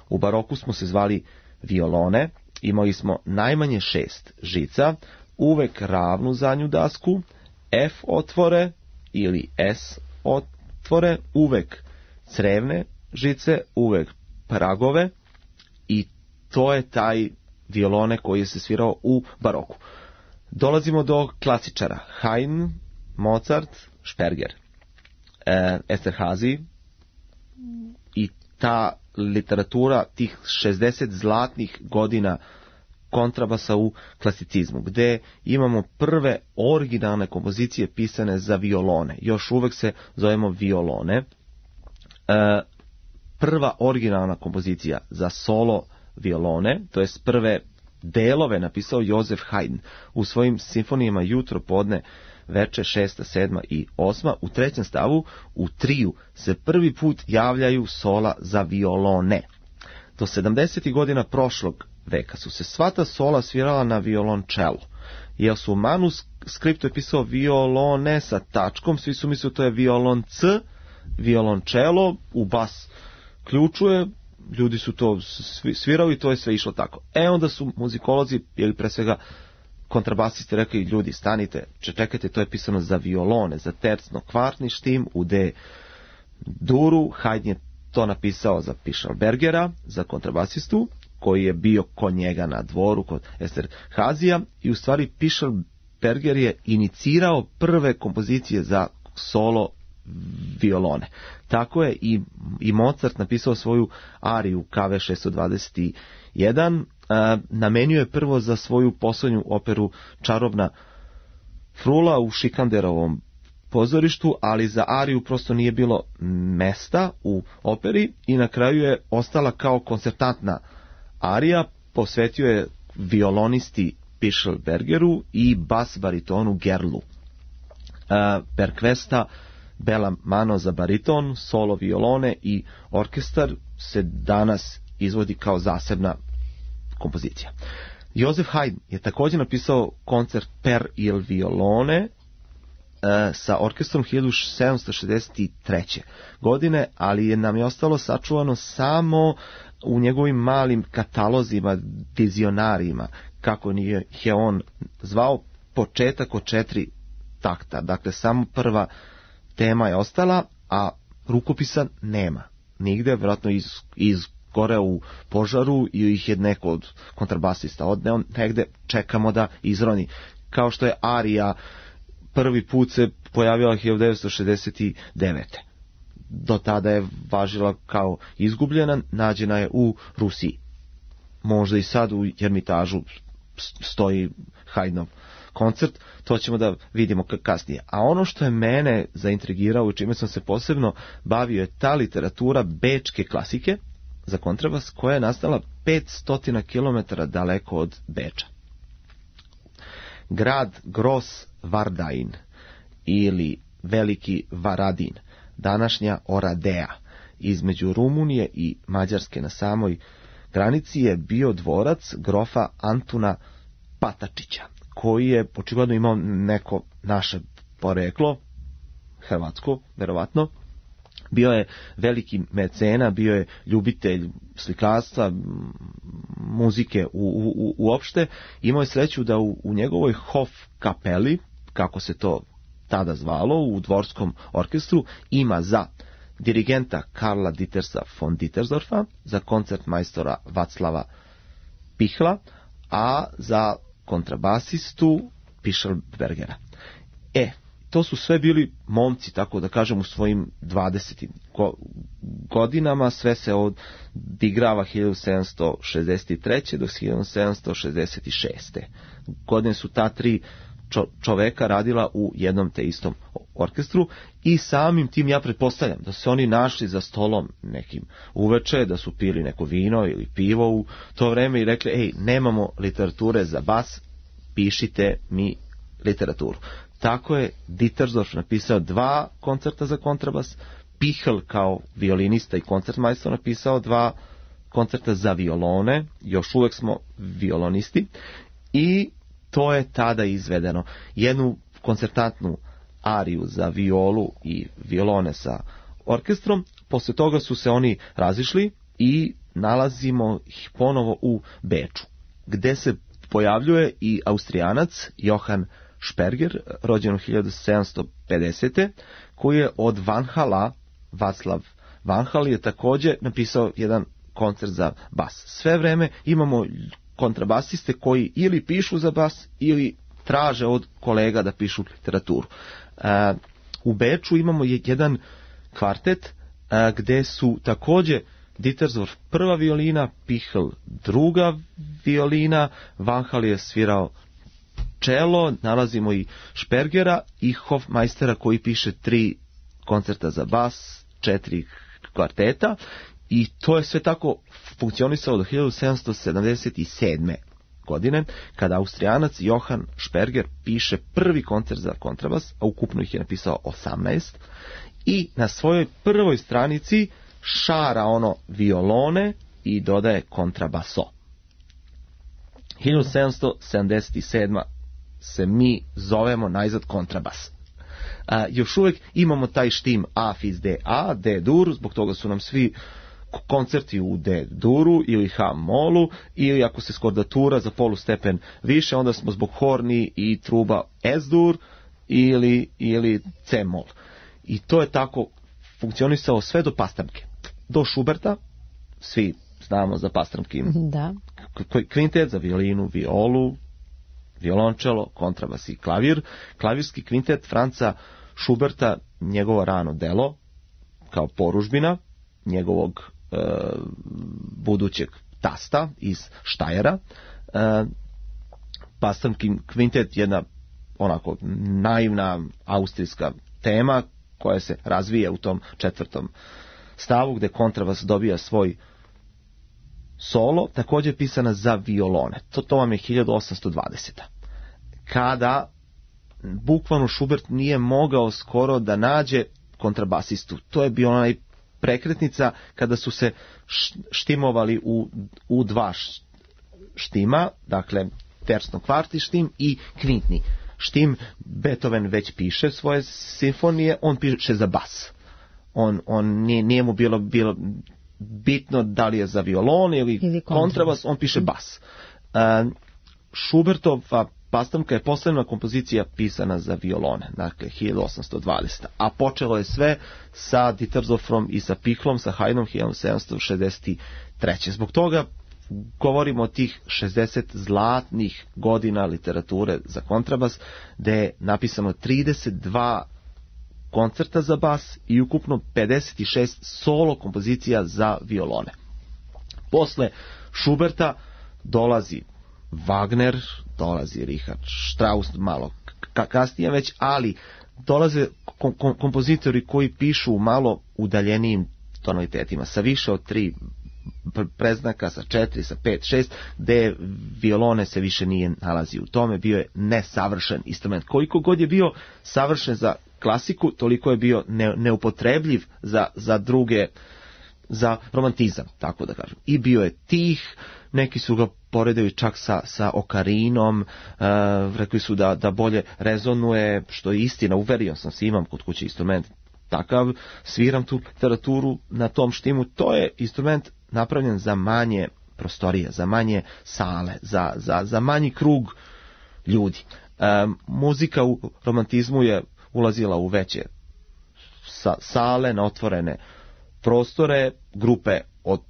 U baroku smo se zvali violone. Imali smo najmanje šest žica, uvek ravnu zadnju dasku, F otvore ili S otvore, uvek crevne žice, uvek pragove i to je taj violone koji se svirao u baroku. Dolazimo do klasičara, Haydn, Mozart, Sperger, e, Esterhazy i ta literatura tih šezdeset zlatnih godina kontrabasa u klasicizmu, gde imamo prve originalne kompozicije pisane za violone. Još uvek se zovemo violone. E, prva originalna kompozicija za solo violone, to je prve delove napisao Josef Haydn u svojim simfonijama Jutro, podne, veče, šesta, sedma i osma. U trećem stavu, u triju, se prvi put javljaju sola za violone. Do sedamdesetih godina prošlog veka su se sva ta sola svirala na violončelo. Jer su u manuskriptu je pisao violone sa tačkom, svi su mislili to je violon C, violončelo, u bas ključuje, ljudi su to svirali i to je sve išlo tako. E onda su muzikolozi, ili pre svega kontrabasisti rekli, ljudi stanite, čekajte, to je pisano za violone, za tercno kvartni štim u D duru. Haydn je to napisao za Pichelbergera, za kontrabasistu, koji je bio kod njega na dvoru, kod Esterhazija, i u stvari Pichelberger je inicirao prve kompozicije za solo violone. Tako je i, i Mozart napisao svoju ariju K V šesto dvadeset jedan, a, namenio je prvo za svoju poslednju operu Čarobna frula u Šikanderovom pozorištu, ali za ariju prosto nije bilo mesta u operi i na kraju je ostala kao koncertantna arija, posvetio je violonisti Pichelbergeru i bas baritonu Gerlu. A, Perquesta Bella Mano za bariton, solo violone i orkestar se danas izvodi kao zasebna kompozicija. Josef Haydn je također napisao koncert per il violone sa orkestrom hiljadu sedamsto šezdeset treće. godine, ali je nam je ostalo sačuvano samo u njegovim malim katalozima, vizionarima, kako je on zvao, početak od četiri takta. Dakle, samo prva tema je ostala, a rukopisa nema. Nigde, vjerojatno iz, iz gore u požaru i ih je neko od kontrabasista odneo, negde čekamo da izroni. Kao što je arija prvi put se pojavila hiljadu devetsto šezdeset devete. Do tada je važila kao izgubljena, nađena je u Rusiji. Možda i sad u Ermitažu stoji Haydnov koncert, to ćemo da vidimo kasnije. A ono što je mene zaintrigirao i čime sam se posebno bavio je ta literatura bečke klasike za kontrabas koja je nastala petsto kilometara daleko od Beča. Grad Gros Vardain ili Veliki Varadin, današnja Oradea, između Rumunije i Mađarske na samoj granici je bio dvorac grofa Antuna Patačića, koji je očigledno imao neko naše poreklo, hrvatsko, verovatno. Bio je veliki mecena, bio je ljubitelj slikarstva, muzike u, u, uopšte. Imao je sreću da u, u njegovoj Hof kapeli, kako se to tada zvalo, u dvorskom orkestru, ima za dirigenta Karla Dietersa von Dietersdorfa, za koncertmajstora Vaclava Pihla, a za kontrabasistu Pišelbergera. E, to su sve bili momci, tako da kažem, u svojim dvadesetim godinama, sve se odigrava hiljadu sedamsto šezdeset treće do hiljadu sedamsto šezdeset šeste. Godine su ta tri čoveka radila u jednom te istom orkestru i samim tim ja pretpostavljam da se oni našli za stolom nekim uveče, da su pili neko vino ili pivo u to vreme i rekli, ej, nemamo literature za bas, pišite mi literaturu. Tako je Dietersdorf napisao dva koncerta za kontrabas, Pihl kao violinista i koncertmajstor napisao dva koncerta za violone, još uvek smo violonisti, i to je tada izvedeno. Jednu koncertantnu ariju za violu i violone sa orkestrom, posle toga su se oni razišli i nalazimo ih ponovo u Beču, gde se pojavljuje i Austrijanac Johann Sperger, rođen u hiljadu sedamsto pedesete. koji je od Vanhala, Vaclav Vanhal je također napisao jedan koncert za bas. Sve vreme imamo kontrabasiste koji ili pišu za bas ili traže od kolega da pišu literaturu. Uh, u Beču imamo jedan kvartet uh, gde su također Dietersdorf prva violina, Pihl druga violina, Vanhal je svirao čelo, nalazimo i Spergera i Hofmeistera koji piše tri koncerta za bas, četiri kvarteta, i to je sve tako funkcionisalo do hiljadu sedamsto sedamdeset sedme. godine, kada Austrijanac Johann Sperger piše prvi koncert za kontrabas, a ukupno ih je napisao osamnaest, i na svojoj prvoj stranici šara ono violone i dodaje kontrabaso. hiljadu sedamsto sedamdeset sedma. se mi zovemo najzad kontrabas. A, još uvijek imamo taj štim A fis D A, D dur, zbog toga su nam svi koncerti u D duru ili H molu, ili ako se skordatura za polustepen više, onda smo zbog horni i truba S dur ili, ili C mol. I to je tako funkcionisalo sve do Pastramke. Do Schuberta, svi znamo za Pastramkin da. Kvintet za violinu, violu, violončelo, kontrabas i klavir. Klavirski kvintet Franca Schuberta, njegovo rano delo, kao poružbina njegovog e, budućeg tasta iz Štajera. E, Pastramkin kvintet, jedna onako naivna austrijska tema koja se razvija u tom četvrtom stavu, gde kontrabas dobija svoj solo, također pisana za violone. To, to vam je hiljadu osamsto dvadeseta. Kada bukvalno Schubert nije mogao skoro da nađe kontrabasistu. To je bio onaj prekretnica kada su se štimovali u, u dva štima, dakle tersno kvarti štim i kvintni štim. Beethoven već piše svoje simfonije, on piše za bas. On, on nije, nije mu bilo, bilo bitno da li je za violon ili, ili kontrabas, on piše bas. Uh, Schubertova Pastormka je poslednja kompozicija pisana za violone, dakle hiljadu osamsto dvadesete. A počelo je sve sa Dittersdorfom i sa Pichlom, sa Haydnom hiljadu sedamsto šezdeset treće. Zbog toga govorimo o tih šezdeset zlatnih godina literature za kontrabas, gde je napisano trideset dva koncerta za bas i ukupno pedeset šest solo kompozicija za violone. Posle Schuberta dolazi Wagner, dolazi Richard Strauss malo kasnije već, ali dolaze kom- kom- kompozitori koji pišu u malo udaljenijim tonalitetima, sa više od tri preznaka, sa četiri, sa pet, šest, gde violone se više nije nalazi u tome, bio je nesavršen instrument. Koliko god je bio savršen za klasiku, toliko je bio ne, neupotrebljiv za, za druge, za romantizam, tako da kažem. I bio je tih, neki su ga poredili čak sa, sa okarinom, uh, rekli su da, da bolje rezonuje, što je istina, uverio sam se, imam kod kuće instrument takav, sviram tu literaturu na tom štimu, to je instrument napravljen za manje prostorije, za manje sale, za, za, za manji krug ljudi. Um, muzika u romantizmu je ulazila u veće sa, sale, na otvorene prostore, grupe od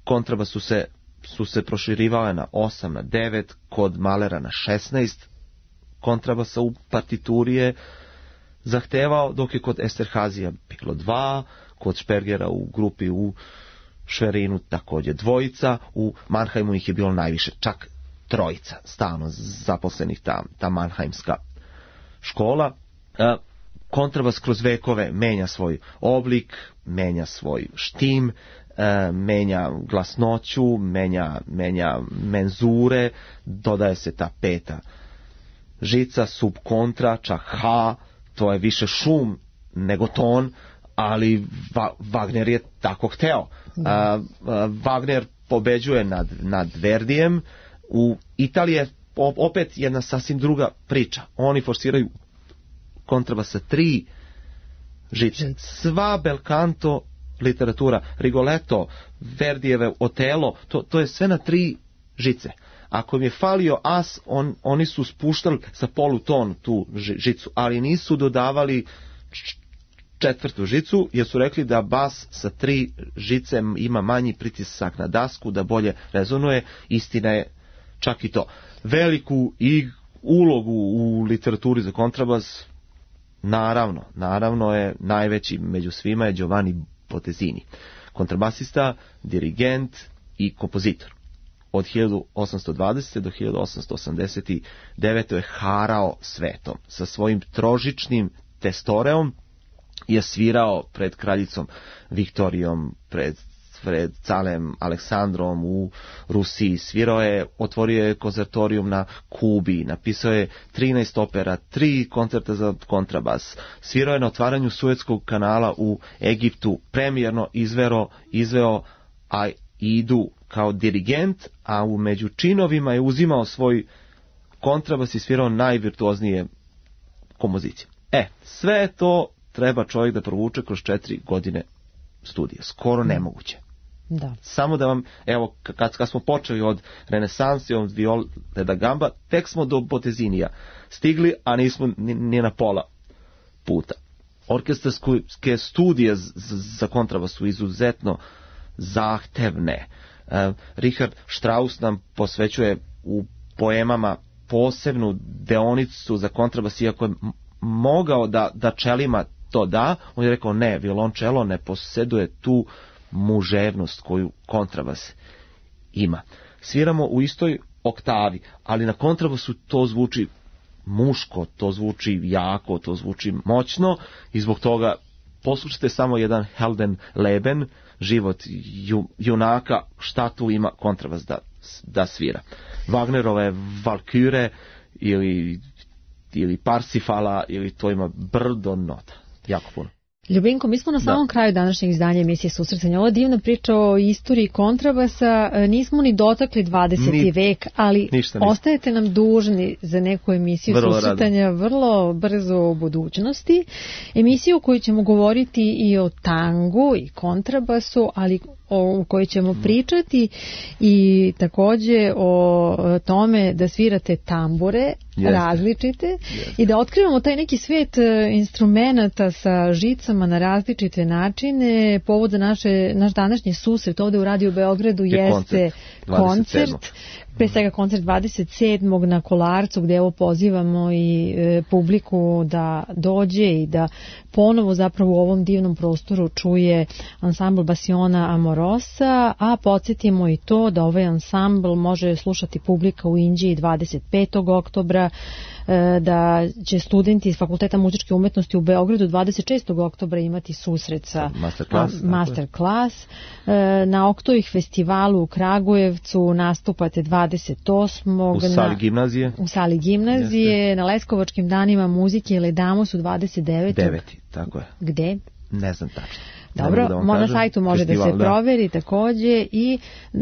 kontraba su se, su se proširivale na osam, na devet, kod Mahlera na šesnaest kontrabasa u partituri je zahtevao, dok je kod Esterházija bilo dva, kod Spergera u grupi u Schwerinu također dvojica, u Mannheimu ih je bilo najviše, čak trojica, stalno zaposlenih ta, ta Mannheimska škola. E, kontrabas kroz vekove menja svoj oblik, menja svoj štim, e, menja glasnoću, menja, menja menzure, dodaje se ta peta žica, subkontra, čak H, to je više šum nego ton, ali Va- Wagner je tako hteo. Uh, uh, Wagner pobeđuje nad, nad Verdijem. U Italiji je opet jedna sasvim druga priča. Oni forsiraju kontrabas sa tri žice. Sva belcanto literatura, Rigoletto, Verdijeve Otelo, to, to je sve na tri žice. Ako im je falio as, on, oni su spuštali sa poluton tu žicu, ali nisu dodavali četvrtu žicu, jer su rekli da bas sa tri žice ima manji pritisak na dasku, da bolje rezonuje. Istina je čak i to. Veliku i ulogu u literaturi za kontrabas, naravno, naravno je najveći među svima je Giovanni Bottesini, kontrabasista, dirigent i kompozitor. Od hiljadu osamsto dvadesete do hiljadu osamsto osamdeset devete je harao svetom. Sa svojim trožičnim testoreom je svirao pred kraljicom Viktorijom, pred, pred carem Aleksandrom u Rusiji. Svirao je, otvorio je konzertorijum na Kubi, napisao je trinaest opera, tri koncerta za kontrabas. Svirao je na otvaranju Suetskog kanala u Egiptu, premijerno izveo, izveo Aidu kao dirigent, a u među činovima je uzimao svoj kontrabas i svirao najvirtuoznije kompozicije. E, sve to treba čovjek da provuče kroz četiri godine studija. Skoro nemoguće. Da. Samo da vam, evo, kad, kad smo počeli od renesanse, od viole da gamba, tek smo do Bottesinija stigli, a nismo ni, ni na pola puta. Orkestarske studije z, z, za kontrabas su izuzetno zahtevne. Uh, Richard Strauss nam posvećuje u poemama posebnu deonicu za kontrabas, iako je mogao da, da čelima to da, on je rekao ne, violončelo ne posjeduje tu muževnost koju kontrabas ima. Sviramo u istoj oktavi, ali na kontrabasu to zvuči muško, to zvuči jako, to zvuči moćno i zbog toga poslušajte samo jedan Heldenleben, život ju, junaka, šta tu ima kontrabas da, da svira. Wagnerove Valkyrie ili, ili Parsifala, ili to ima brdo nota. Jako puno. Ljubinko, mi smo na samom da. kraju današnjeg izdanja emisije Susretanja. Ova divna priča o istoriji kontrabasa, nismo ni dotakli dvadeseti ni, vek, ali ostajete nam dužni za neku emisiju vrlo Susretanja rado. vrlo brzo u budućnosti. Emisiju u kojoj ćemo govoriti i o tangu i kontrabasu, ali u kojoj ćemo pričati i takođe o tome da svirate tambure Jeste. različite Jeste. i da otkrivamo taj neki svet instrumenata sa žicama na različite načine. Povod za naše, naš današnji susret ovde u Radio Beogradu je jeste koncert, koncert pre svega koncert dvadeset sedmog na Kolarcu, gde evo pozivamo i e, publiku da dođe i da ponovo zapravo u ovom divnom prostoru čuje ansambl Basiona Amorosa, a podsjetimo i to da ovaj ansambl može slušati publika u Inđiji dvadeset petog oktobra, e, da će studenti iz Fakulteta muzičke umetnosti u Beogradu dvadeset šestog oktobra imati susret sa masterclass, a, masterclass. E, na Oktovih festivalu u Kragujevcu nastupate dvadeset osmog u sali gimnazije. U sali gimnazije, Jeste. na Leskovačkim danima muzike Ledamo su dvadeset devetog deveti tako je. Gde? Ne znam tačno. Dobro, da na sajtu može Festival, da se proveri da. takođe i e,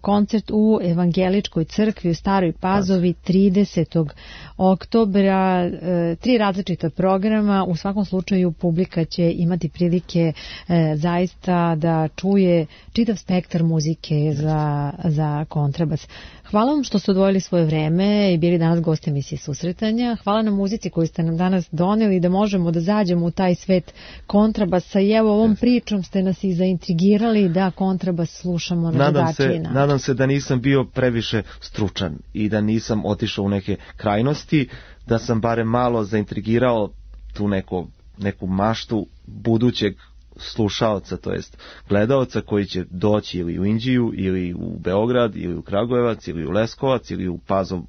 koncert u Evangeličkoj crkvi u Staroj Pazovi tridesetog oktobra, e, tri različita programa, u svakom slučaju publika će imati prilike e, zaista da čuje čitav spektar muzike za, za kontrabas. Hvala vam što ste odvojili svoje vreme i bili danas gosti emisije Susretanja. Hvala na muzici koju ste nam danas doneli da možemo da zađemo u taj svet kontrabasa i evo ovom pričom ste nas i zaintrigirali da kontrabas slušamo na drugačiji način. Nadam se da nisam bio previše stručan i da nisam otišao u neke krajnosti, da sam barem malo zaintrigirao tu neko, neku maštu budućeg slušaoca, to jest gledaoca koji će doći ili u Inđiju, ili u Beograd, ili u Kragujevac, ili u Leskovac, ili u Pazovu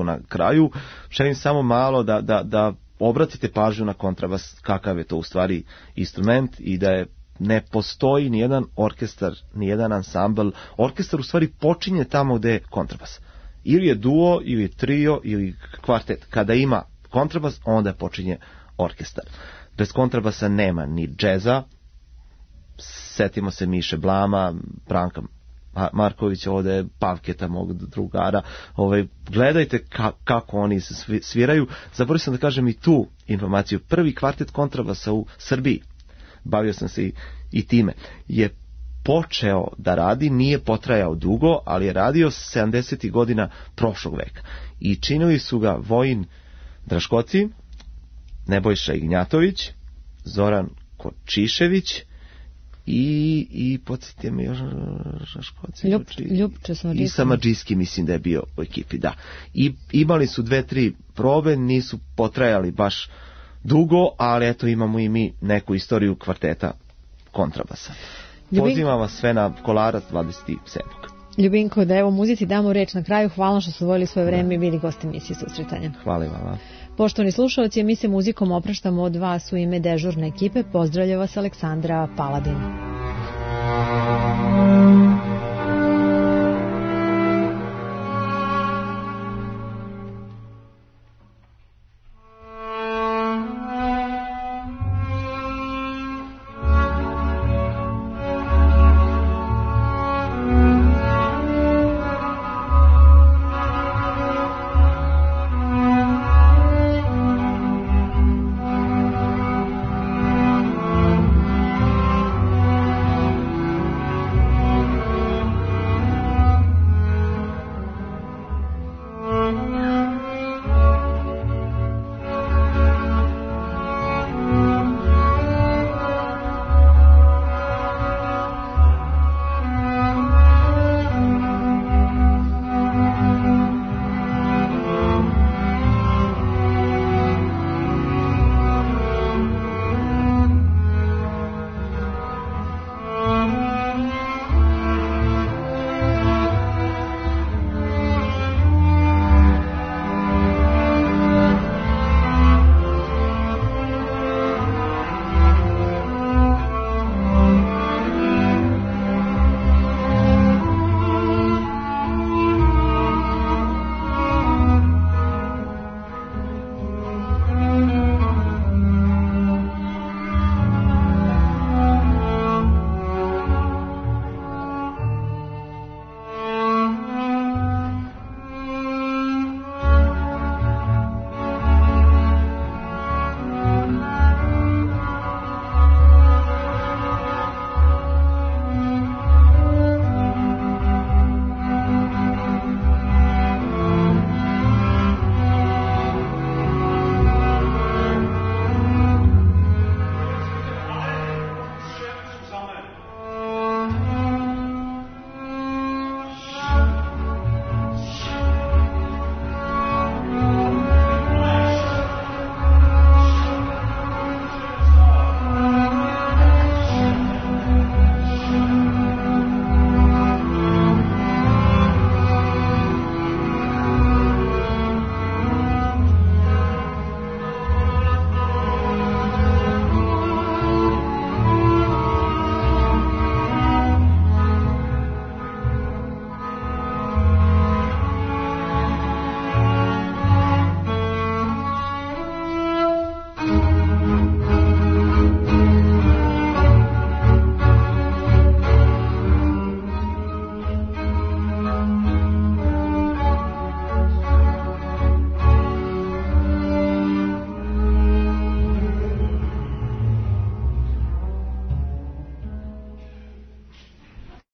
na kraju. Želim samo malo da, da, da obratite pažnju na kontrabas, kakav je to u stvari instrument i da je ne postoji ni jedan orkestar, ni jedan ansambl. Orkestar u stvari počinje tamo gde je kontrabas. Ili je duo, ili je trio, ili kvartet. Kada ima kontrabas, onda počinje orkestar. Bez kontrabasa nema ni džeza. Setimo se Miše Blama, Branka Markovića, ovde Pavketa, mog drugara. Ove, gledajte ka, kako oni sviraju. Zaboravio sam da kažem i tu informaciju. Prvi kvartet kontrabasa u Srbiji, bavio sam se i, i time, je počeo da radi, nije potrajao dugo, ali je radio sedamdesetih godina prošlog veka. I činili su ga Vojin Draškoci, Nebojša Ignjatović, Zoran Kočišević i, i podsjetite me još Draškoci, Ljub, Ljubče i Samadžijski, mislim da je bio u ekipi, da. I imali su dve, tri probe, nisu potrajali baš dugo, ali eto imamo i mi neku istoriju kvarteta kontrabasa. Ljubin... Pozivam vas sve na Kolarac dvadeset sedmog Ljubinko, da evo muzici damo reč na kraju. Hvala što su odvojili svoje vreme i bili gosti emisije Susretanja. Hvala vam. Poštovani slušalci, mi se muzikom opraštamo od vas u ime dežurne ekipe. Pozdravlja vas Aleksandra Paladin.